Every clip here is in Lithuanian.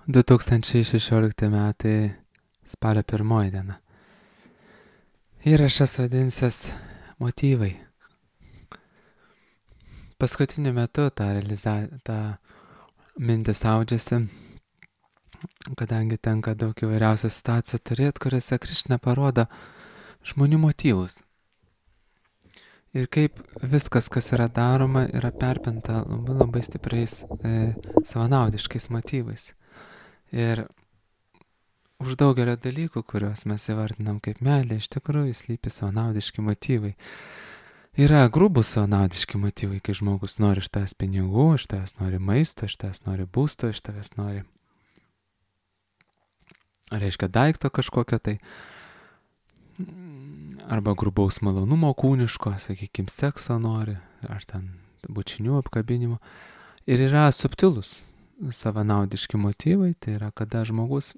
2016 metai spalio 1 diena. Įrašas vadinsis motyvai. Paskutiniu metu tą mintis audžiasi, kadangi tenka daug įvairiausių situacijų turėti, kuriuose Krišna parodo žmonių motyvus. Ir kaip viskas, kas yra daroma, yra perpinta labai stipriais savanaudiškais motyvais. Ir už daugelio dalykų, kuriuos mes įvardinam kaip meilė, iš tikrųjų slypi savanaudiški motyvai. Yra grubus savanaudiški motyvai, kai žmogus nori iš tavęs pinigų, iš tavęs nori maisto, iš tavęs nori būsto, iš tavęs nori, reiškia, daikto kažkokio tai, arba grubaus malonumo kūniško, sakykime, sekso nori, ar ten bučinių apkabinimo. Ir yra subtilus savanaudiški motyvai, tai yra, kada žmogus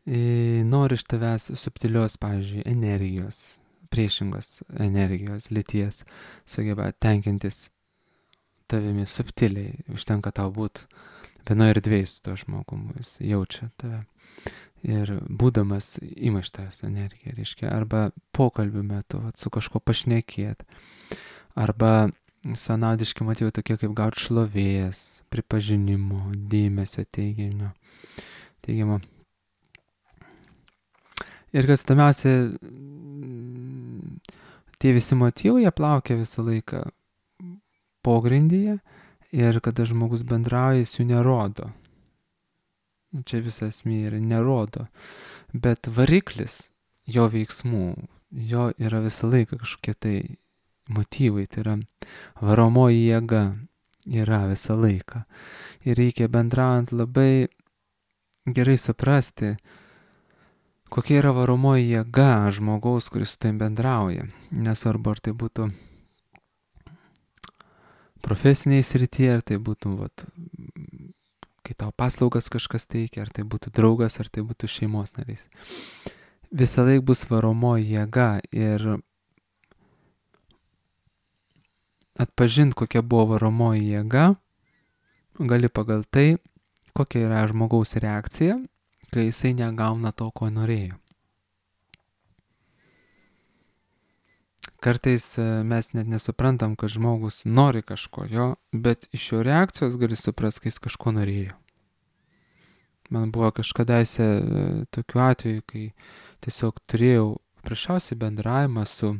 nori iš tavęs subtilios, pavyzdžiui, energijos, priešingos energijos, lyties, sugeba tenkintis tavimi subtiliai, užtenka tau būti vienoje erdvėje su to žmogumi, jis jaučia tave. Ir būdamas ima iš tavęs energiją, reiškia, arba pokalbių metu su kažko pašnekėt, arba savanaudiški motyvai tokie kaip gauti šlovės, pripažinimo, dėmesio teigiamo. Ir kas įdomiausia, tie visi motyvai jie plaukia visą laiką pogrindyje ir kada žmogus bendrauja, jis jų nerodo. Čia visa esmė yra nerodo. Bet variklis jo veiksmų, jo yra visą laiką kažkokie tai motyvai, tai yra varomoji jėga yra visą laiką. Ir reikia bendraujant labai gerai suprasti, kokia yra varomoji jėga žmogaus, kuris su tavim bendrauja. Nesvarbu, ar tai būtų profesiniai srityje, ar tai būtų, kai tau paslaugas kažkas teikia, ar tai būtų draugas, ar tai būtų šeimos narys. Visą laiką bus varomoji jėga ir atpažinti, kokia buvo varomoji jėga, gali pagal tai, kokia yra žmogaus reakcija, kai jisai negauna to, ko norėjo. Kartais mes net nesuprantam, kad žmogus nori kažko jo, bet iš jo reakcijos gali suprasti, kai jis kažko norėjo. Man buvo kažkadaise tokiu atveju, kai tiesiog turėjau prašiausiai bendravimą su,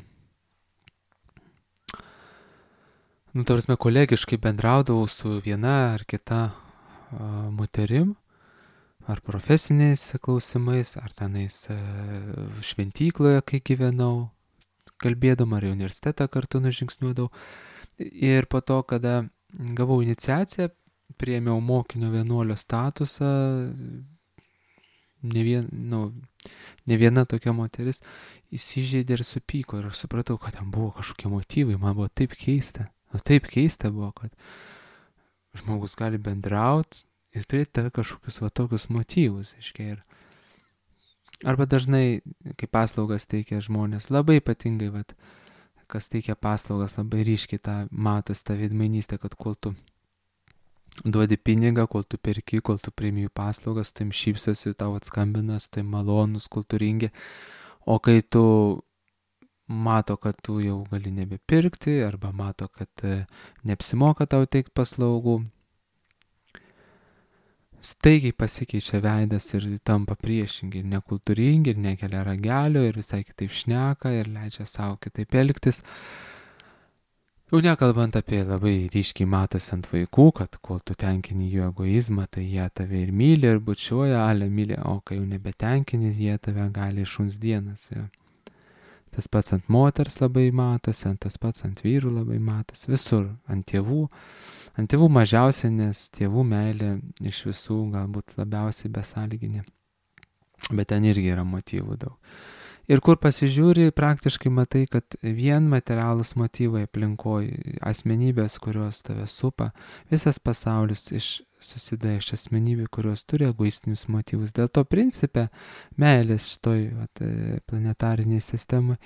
kolegiškai bendraudavau su viena ar kita moterim, ar profesiniais klausimais, ar tenais šventykloje, kai gyvenau, kalbėdama, ar į universitetą kartu nužingsniuodavau. Ir po to, kada gavau iniciaciją, priėmiau mokinio vienuolio statusą, ne viena tokia moteris įsižeidė ir supyko. Ir aš supratau, kad ten buvo kažkokie motyvai, man buvo taip keista. Taip keista buvo, kad žmogus gali bendrauti ir turėti tave kažkokius tokius motyvus. Arba dažnai, kai paslaugas teikia žmonės, labai ypatingai, kas teikia paslaugas, labai ryškiai matos tą veidmainystę, kad kol tu duodi pinigą, kol tu perki, kol tu priimi jų paslaugas, tu im šypsosi, tau atskambina, tu im malonus, kultūringi, o kai tu mato, kad tu jau gali nebepirkti, arba mato, kad neapsimoka tau teikti paslaugų, staigiai pasikeičia veidas ir tampa priešingi, ir nekultūringi, ir nekelia ragelio, ir visai kitaip šneka, ir leidžia savo kitaip elgtis. Jau nekalbant apie labai ryškiai matosi ant vaikų, kad kol tu tenkini jų egoizmą, tai jie tave ir myli, ir bučiuoja, myli, o kai jau nebetenkini, jie tave gali iššuns dienas. Ja. Tas pats ant moters labai matosi, tas pats ant vyrų labai matosi, visur, ant tėvų mažiausiai, nes tėvų meilė iš visų galbūt labiausiai besąlyginė, bet ten irgi yra motyvų daug. Ir kur pasižiūri, praktiškai matai, kad vien materialūs motyvai aplinkoje, asmenybės, kurios tave supa, visas pasaulis susideda iš asmenybių, kurios turi egoistinius motyvus. Dėl to principe meilės šitoj planetariniai sistemai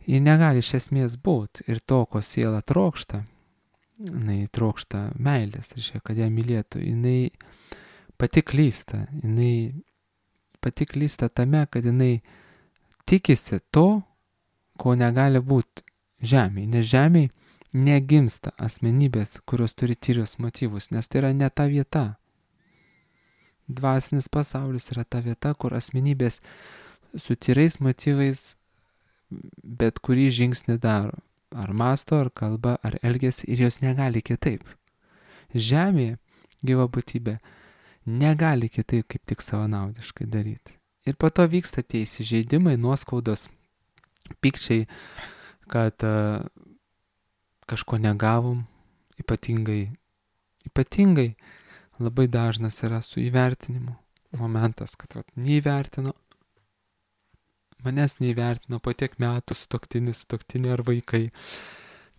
ji negali iš esmės būti. Ir to, ko siela trokšta, jinai trokšta meilės, reiškia, kad ją mylėtų. Jinai pati klysta. Jinai pati klysta tame, kad jinai tikisi to, ko negali būti žemėje. Nes žemėje negimsta asmenybės, kurios turi tyrius motyvus, nes tai yra ne ta vieta. Dvasinis pasaulis yra ta vieta, kur asmenybės su tyrais motyvais bet kurį žingsnį daro. Ar masto, ar kalba, ar elgiasi ir jos negali kitaip. Žemėje gyva būtybė negali kitaip kaip tik savanaudiškai daryti. Ir po to vyksta tie įsižeidimai, nuoskaudos, pykčiai, kad kažko negavom, ypatingai labai dažnas yra su įvertinimu momentas, kad neįvertino, manęs neįvertino po tiek metų sutuoktinė ar vaikai.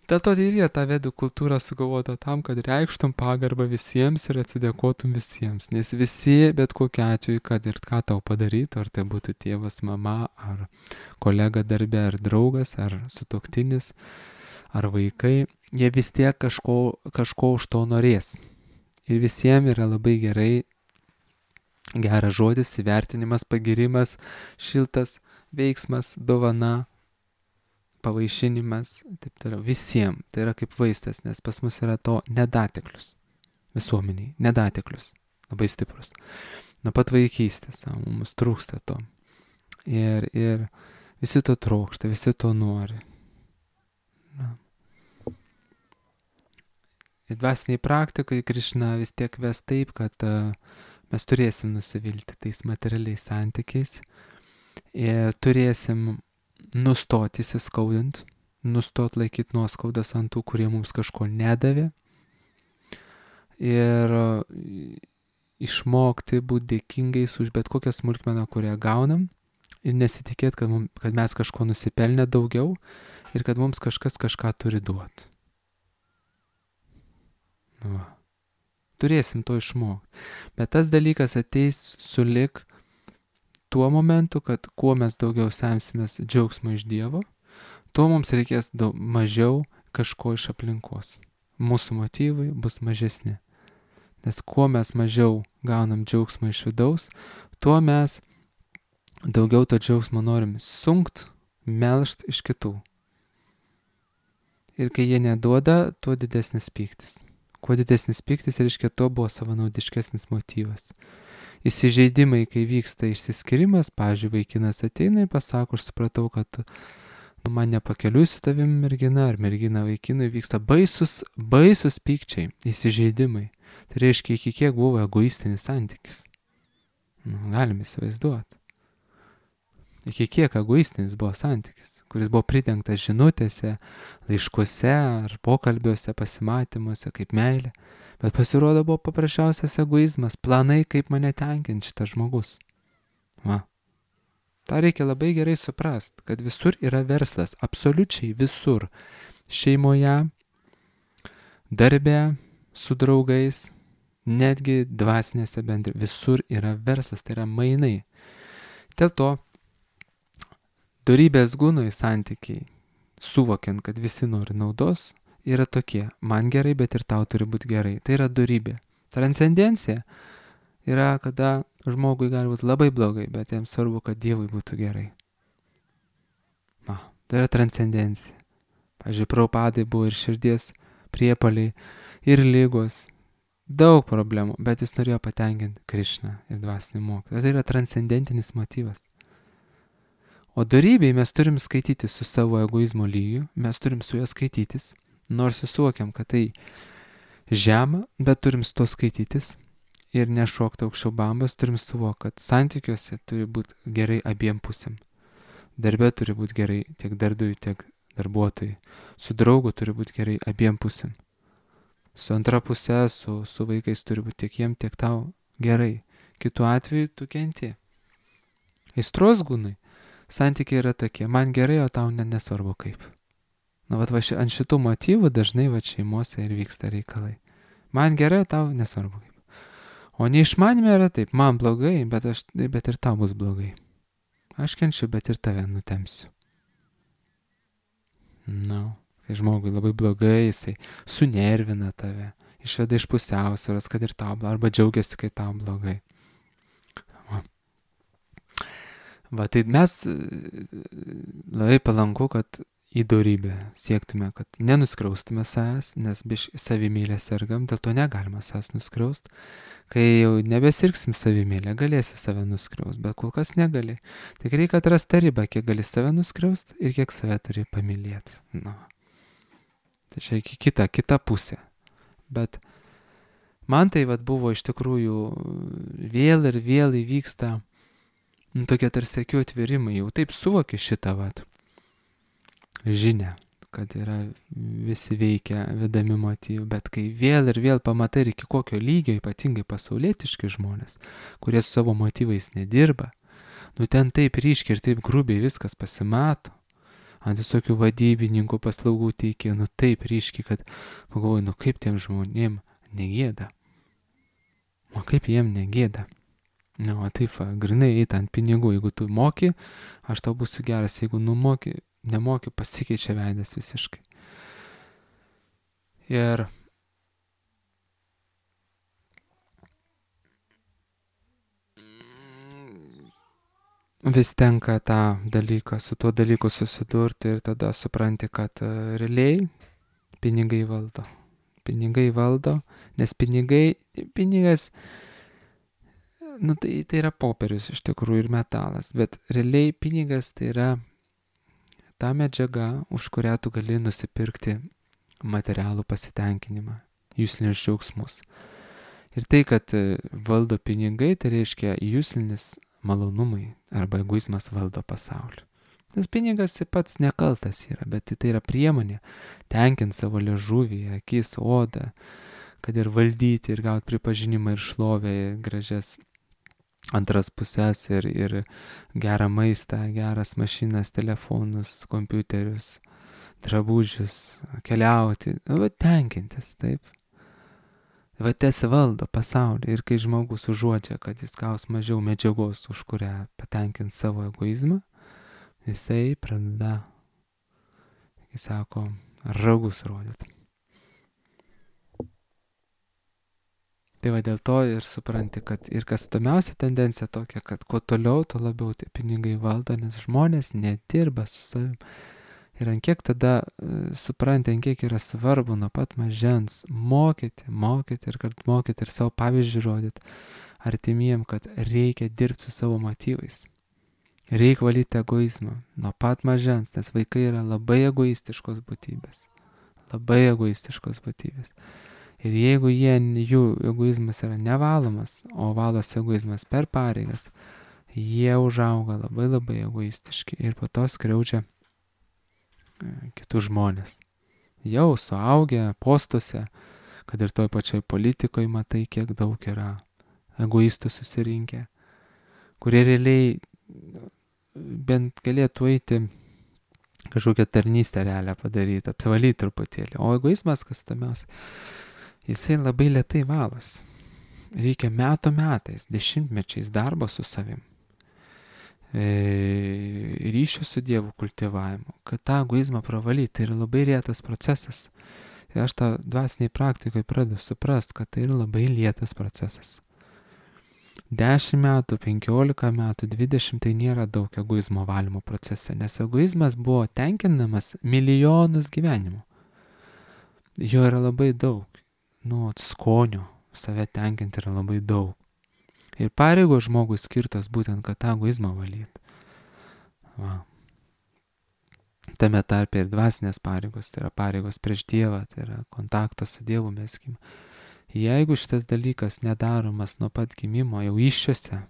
Dėl to ir yra ta vedų kultūra sugalvota tam, kad reikštum pagarbą visiems ir atsidėkotum visiems. Nes visi, bet kokiu atveju, kad ir ką tau padarytų, ar tai būtų tėvas, mama, ar kolega darbe, ar draugas, ar sutuoktinis, ar vaikai, jie vis tiek kažko už to norės. Ir visiems yra labai geras žodis, įvertinimas, pagirimas, šiltas veiksmas, dovana, pavaišinimas, taip toliau. Visiems. Tai yra kaip vaistas, nes pas mus yra to nedateklius. Visuomeniai. Nedateklius. Labai stiprus. Nuo pat vaikystės. Mums trūksta to. Ir visi to trokšta, visi to nori. Na. Ir dvasiniai praktikai Krišna vis tiek ves taip, kad mes turėsim nusivilti tais materialiais santykiais. Ir turėsim nustoti įsiskaudint, nustoti laikyti nuoskaudas ant tų, kurie mums kažko nedavė. Ir išmokti būti dėkingais už bet kokią smulkmeną, kurią gaunam. Ir nesitikėti, kad mes kažko nusipelnę daugiau ir kad mums kažkas kažką turi duoti. Turėsim to išmokti. Bet tas dalykas ateis sulig tuo momentu, kad kuo mes daugiau semsimės džiaugsmo iš Dievo, tuo mums reikės mažiau kažko iš aplinkos. Mūsų motyvai bus mažesni. Nes kuo mes mažiau gaunam džiaugsmo iš vidaus, tuo mes daugiau to džiaugsmo norim sunkt, melžt iš kitų. Ir kai jie neduoda, tuo didesnis pyktis. Kuo didesnis pyktis, reiškia, tuo buvo savanaudiškesnis motyvas. Įsižeidimai, kai vyksta išsiskyrimas, pavyzdžiui, vaikinas ateina ir pasako, aš supratau, kad man nepakeliui su tavim mergina, ar mergina vaikinui, vyksta baisus pykčiai, įsižeidimai. Tai reiškia, iki kiek buvo egoistinis santykis. Galim įsivaizduoti. Iki kiek egoistinis buvo santykis, kuris buvo pridengtas žinutėse, laiškuose ar pokalbiuose, pasimatymuose, kaip meilė. Bet pasirodo buvo paprasčiausias egoizmas, planai, kaip mane tenkinti šitas žmogus. Ta reikia labai gerai suprast, kad visur yra verslas, absoliučiai visur. Šeimoje, darbe, su draugais, netgi dvasinėse visur yra verslas, tai yra mainai. Dėl to dorybės gūnoj santykiai, suvokiant, kad visi nori naudos, yra tokie, man gerai, bet ir tau turi būti gerai. Tai yra dorybė. Transcendencija yra, kada žmogui gali būti labai blogai, bet jam svarbu, kad Dievui būtų gerai. Tai yra transcendencija. Pavyzdžiui, Prabhupadai buvo ir širdies priepaliai, ir lygos, daug problemų, bet jis norėjo patenkinti Krišną ir dvasinį mokymą. Tai yra transcendentinis motyvas. O dorybėj mes turim skaityti su savo egoizmo lygiu, mes turim su juo skaitytis, nors suvokiam, kad tai žema, bet turim su to skaitytis ir nešokti aukščiau bambas, turim suvokti, kad santykiuose turi būti gerai abiem pusėm. Darbe turi būti gerai tiek darbdaviui, tiek darbuotojui. Su draugu turi būti gerai abiem pusėm. Su antra pusė, su vaikais turi būti tiek jiem, tiek tau gerai. Kitu atveju tu kenti. Aistros gūnai. Santykiai yra tokie, man gerai, o tau nesvarbu kaip. Ant šitų motyvų dažnai šeimose ir vyksta reikalai. Man gerai, o tau nesvarbu kaip. O neišmanime yra taip, man blogai, bet ir tau bus blogai. Aš kenčiu, bet ir tave nutemsiu. Kai žmogui labai blogai, jisai sunervina tave, išveda iš pusiausvėros, kad ir tau blogai, arba džiaugiasi, kai tau blogai. Va, tai mes labai palanku, kad į dorybę siektume, kad nenuskriaustume savęs, nes biš savimylę sergam, dėl to negalima savęs nuskriaust. Kai jau nebesirgsim savimylę, galėsi save nuskriaust, bet kol kas negali. Tik reikia atrasti tą ribą, kiek gali save nuskriaust ir kiek save turi pamylėti. Na. Tai čia kita pusė. Bet man tai vat buvo iš tikrųjų vėl ir vėl įvyksta tokie tarsi akių atvirimai, jau taip suvoki šitą vat žinią, kad yra visi veikia vedami motyvų, bet kai vėl ir vėl pamatai ir iki kokio lygio, ypatingai pasaulietiški žmonės, kurie su savo motyvais nedirba, ten taip ryškiai ir taip grubiai viskas pasimato, ant visokių vadybininkų paslaugų teikia, taip ryškiai, kad pagalvoju, kaip tiem žmonėm negėda. O kaip jiem negėda? O taip, grinai eit ant pinigų, jeigu tu moki, aš tau būsiu geras, jeigu nemoki, pasikeičia veidas visiškai. Ir vis tenka su tuo dalyku susidurti ir tada supranti, kad realiai pinigai valdo. Pinigai valdo, nes pinigas, tai yra popierius iš tikrųjų ir metalas, bet realiai pinigas tai yra ta medžiaga, už kurią tu gali nusipirkti materialų pasitenkinimą, juslinius džiaugsmus. Ir tai, kad valdo pinigai, tai reiškia juslinis malonumai arba egoizmas valdo pasaulį. Nes pinigas pats nekaltas yra, bet tai yra priemonė tenkinti savo liežuvį, akis, odą, kad ir valdyti ir gauti pripažinimą ir šlovę, gražias antras pusės ir gerą maistą, geras mašinas, telefonus, kompiuterius, drabužius, keliauti, tenkintis, taip. Tas valdo pasaulį ir kai žmogus užuodžia, kad jis gaus mažiau medžiagos, už kurią patenkint savo egoizmą, jisai pradeda, jis sako, ragus rodyti. Tai va dėl to ir supranti, kad ir kas įdomiausia tendencija tokia, kad kuo toliau, tuo labiau tie pinigai valdo, nes žmonės nedirba su savim. Ir ant kiek tada supranti, ant kiek yra svarbu nuo pat mažens mokyti ir savo pavyzdžių rodyti artimiem, kad reikia dirbti su savo motyvais. Reikia valyti egoizmą nuo pat mažens, nes vaikai yra labai egoistiškos būtybės. Ir jeigu jų egoizmas yra nevalomas, o valosi egoizmas per pareigas, jie užauga labai egoistiški ir po to skriaudžia kitus žmonės. Jau suaugę postuose, kad ir toj pačioj politikoje matai, kiek daug yra egoistų susirinkę, kurie realiai bent galėtų eiti kažkokią tarnystę realią padaryti, apsivalyti truputėlį. O egoizmas, kas įdomiausia, jisai labai lėtai valas. Reikia metais, dešimtmečiais darbo su savim. Ryšio su Dievu kultivavimu, kad tą egoizmą pravalyti, tai yra labai lėtas procesas. Ir aš tą dvasiniai praktikoje pradedu suprast, kad tai yra labai lėtas procesas. 10 metų, 15 metų, 20 tai nėra daug egoizmo valymo procese, nes egoizmas buvo tenkinamas milijonus gyvenimų. Jo yra labai daug. Skonio save tenkinti yra labai daug. Ir pareigos žmogui skirtos būtent, kad tą egoizmą valyti. Tame tarpe ir dvasinės pareigos, tai yra pareigos prieš Dievą, tai yra kontaktas su Dievu meskim. Jeigu šitas dalykas nedaromas nuo pat gimimo, jau iššiose,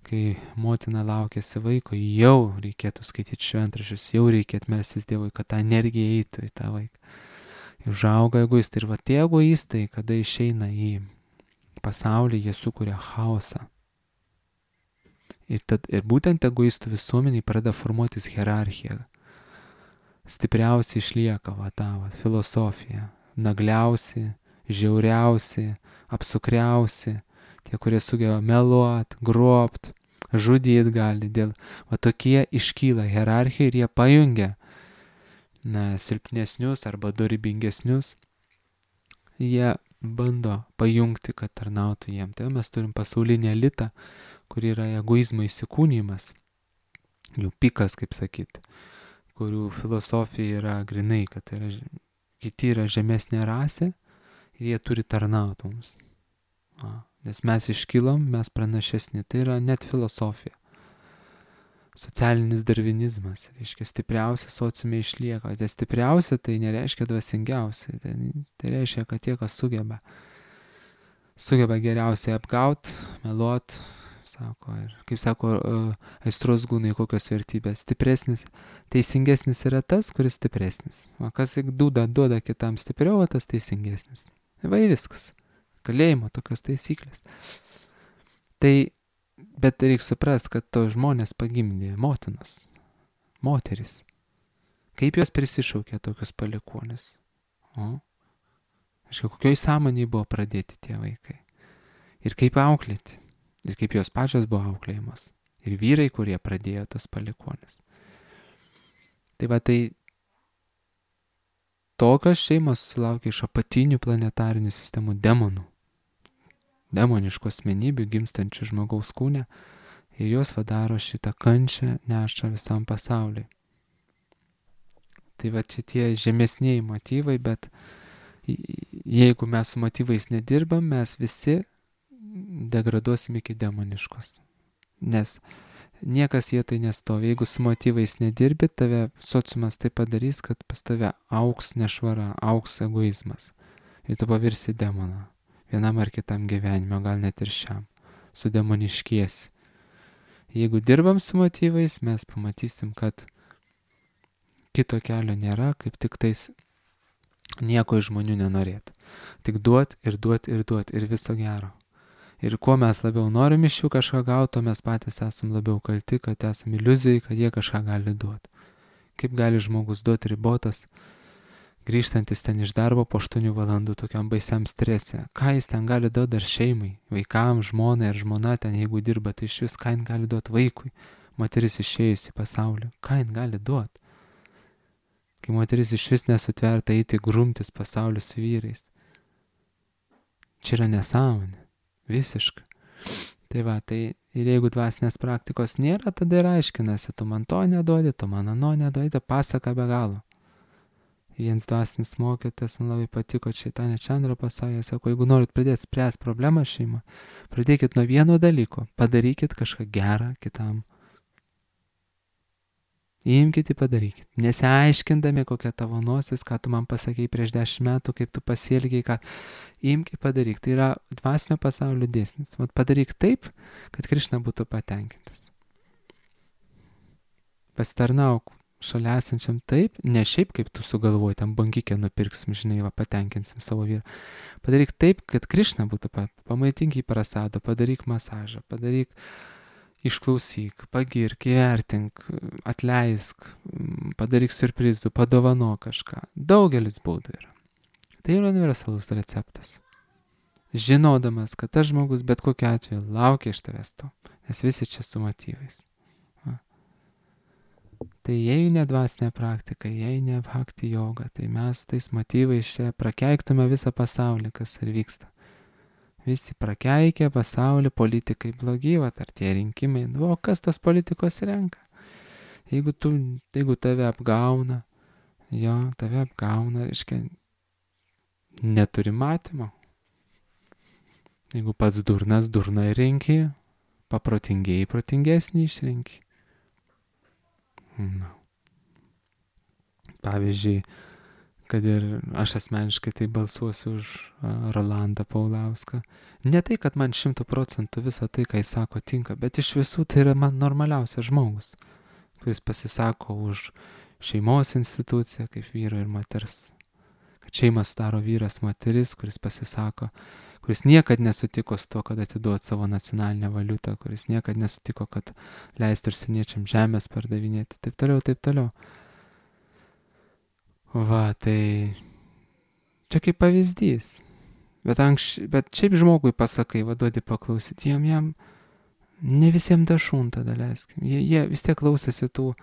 kai motina laukėsi vaiko, jau reikėtų skaityti šventraščius, jau reikėtų melstis Dievui, kad ta energija eitų į tą vaiką. Užauga egoistai ir tie egoistai, kada išeina į pasaulį, jie sukuria chaosą. Ir būtent egoistų visuomeniai pradeda formuotis hierarchija. Stipriausiai išlieka filosofija. Nagliausi, žiauriausi, apsukriausi, tie, kurie sugeba meluot, grobt, žudyt gali. Tokie iškyla hierarchija ir jie pajungia silpnesnius arba dorybingesnius, jie bando pajungti, kad tarnautų jiem. Tai mes turim pasaulinį elitą, kur yra egoizmo įsikūnymas, jų pikas, kaip sakyti, kurių filosofija yra grinai, kad kiti yra žemesnė rasė ir jie turi tarnauti mums. Nes mes iškilom, mes pranašesni. Tai yra net filosofija. Socialinis darvinizmas, reiškia, stipriausia sociume išlieka. O tie stipriausia tai nereiškia dvasingiausia. Tai reiškia, kad tie, kas sugeba geriausiai apgaut, meluot, sako, ir kaip sako aistros gūnai, kokios vertybės. Stipresnis, teisingesnis yra tas, kuris stipresnis. O kas duoda kitam stipriau, o tas teisingesnis. Va viskas. Kalėjimo tokios taisyklės. Tai bet reikia suprasti, kad to žmonės pagimdė motinos, moteris. Kaip jos prisišaukė tokius palikuonis? Kokioj sąmonėje buvo pradėti tie vaikai? Ir kaip auklėti? Ir kaip jos pačios buvo auklėjamos? Ir vyrai, kurie pradėjo tas palikuonis. Tai va tai tokios šeimos susilaukia iš apatinių planetarinių sistemų demonų. Demoniškų asmenybių gimstančių žmogaus kūne ir jos vadaro šitą kančią neša visam pasauliui. Tai va šitie žemesniai motyvai, bet jeigu mes su motyvais nedirbam, mes visi degraduosim iki demoniškos. Nes niekas vietoj nestovi. Jeigu su motyvais nedirbi, tave sociumas tai padarys, kad pas tave auks nešvara, auks egoizmas. Ir tu pavirsi demoną. Vienam ar kitam gyvenime, gal net ir šiam. Sudemoniškiesi. Jeigu dirbam su motyvais, mes pamatysim, kad kito kelio nėra, kaip tik tais nieko iš žmonių nenorėt. Tik duot ir duot ir duot ir viso gero. Ir kuo mes labiau norim iš jų kažką gauti, mes patys esam labiau kalti, kad esam iliuzijai, kad jie kažką gali duoti. Kaip gali žmogus duoti ribotas, grįžtantis ten iš darbo po 8 valandų tokiam baisiam strese. Ką jis ten gali duoti dar šeimai, vaikams, žmonai ar žmona ten, jeigu dirba, tai iš vis ką jis gali duoti vaikui, moteris išėjus į pasaulį, ką jis gali duoti. Kai moteris iš vis nesutverta eiti grumtis pasaulį su vyrais. Čia yra nesąmonė. Visiškai. Tai va, tai ir jeigu dvasinės praktikos nėra, tada ir aiškinasi, tu man to neduodi, tu man ano neduodi, tai pasaka be galo. Vienas dvasinis mokytas, man labai patiko Čaitanė Čandra pasakė, sako, jeigu norit pradėti spręsti problemą šeimą, pradėkit nuo vieno dalyko, padarykit kažką gerą kitam. Imkite, padarykit. Nesiaiškindami, kokia tavo nosis, ką tu man pasakei prieš 10 metų, kaip tu pasielgiai, ką imkite, padaryk. Tai yra dvasinio pasaulio dėsnis. Vat padaryk taip, kad Krišna būtų patenkintas. Pasitarnauk šalia esančiam taip, ne šiaip kaip tu sugalvoji, tam bankikę nupirksim, žinai, va, patenkinsim savo vyrą. Padaryk taip, kad Krišna būtų pamaitink į prasado, padaryk masažą, padaryk išklausyk, pagirk, įvertink, atleisk, padaryk siurprizų, padovano kažką. Daugelis būdų yra. Tai yra universalus receptas. Žinodamas, kad tas žmogus bet kokiu atveju laukia iš tavęs to, nes visi čia su motyvais. Va. Tai jei ne dvasinė praktika, jei ne bhakti joga, tai mes tais motyvais čia prakeiktume visą pasaulį, kas ir vyksta. Visi prakeikė pasaulį, politikai blogi, ar tie rinkimai. O kas tas politikos renka? Jeigu tave apgauna, reiškia, neturi matymo. Jeigu pats durnas, durną renki, paprotingieji, protingesnį išrenki. Pavyzdžiui, kad ir aš asmeniškai tai balsuosiu už Rolandą Paulauską. Ne tai, kad man 100% visą tai, ką jis sako, tinka, bet iš visų tai yra man normaliausias žmogus, kuris pasisako už šeimos instituciją kaip vyro ir moters. Kad šeimą sudaro vyras, moteris, kuris pasisako, kuris niekad nesutiko su to, kad atiduot savo nacionalinę valiutą, kuris niekad nesutiko, kad leistų užsieniečiam žemės pardavinėti, taip toliau. Va, tai čia kaip pavyzdys. Bet šiaip žmogui pasakai, duodi paklausyti, jam ne visiems dašuntą daleiskim. Jie vis tiek klausėsi tų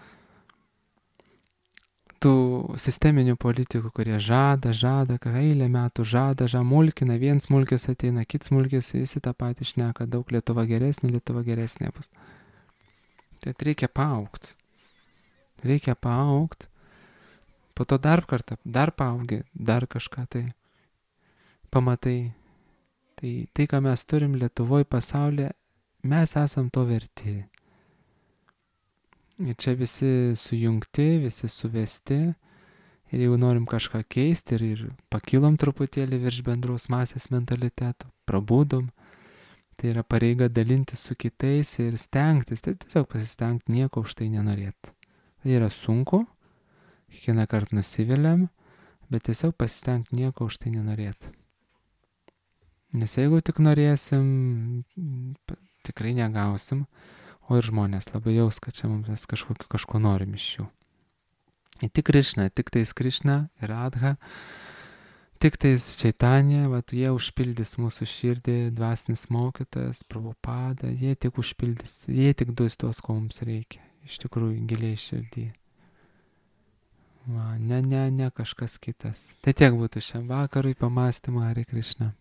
tų sisteminių politikų, kurie žada, eilę metų žada, mulkina, vienas mulkis ateina, kits mulkis, visi tą patį šneka, daug Lietuva geresnė bus. Tai reikia paaugti. Po to dar kartą, dar paaugi, dar kažką tai pamatai. Tai, ką mes turim Lietuvoje, pasaulyje, mes esam to verti. Ir čia visi sujungti, visi suvesti. Ir jeigu norim kažką keisti ir pakilom truputėlį virš bendros masės mentaliteto, prabudom, tai yra pareiga dalintis su kitais ir stengtis, tai tiesiog pasistengti, nieko už tai nenorėti. Tai yra sunku, kiekvieną kartą nusiviliam, bet tiesiog pasistengti, nieko už tai nenorėti. Nes jeigu tik norėsim, tikrai negausim, o ir žmonės labai jaus, kad čia mums kažko norim iš jų. Ir tik Krišna, tik tais Krišna ir Radha, tik tais Čaitanija, jie užpildys mūsų širdį, dvasinis mokytojas, Prabhupada, jie tik užpildys, jie tik duos tos, ko mums reikia, iš tikrųjų giliai širdį. Ne kažkas kitas. Tai tiek būtų šiam vakarui pamąstymą, Hare Krishna.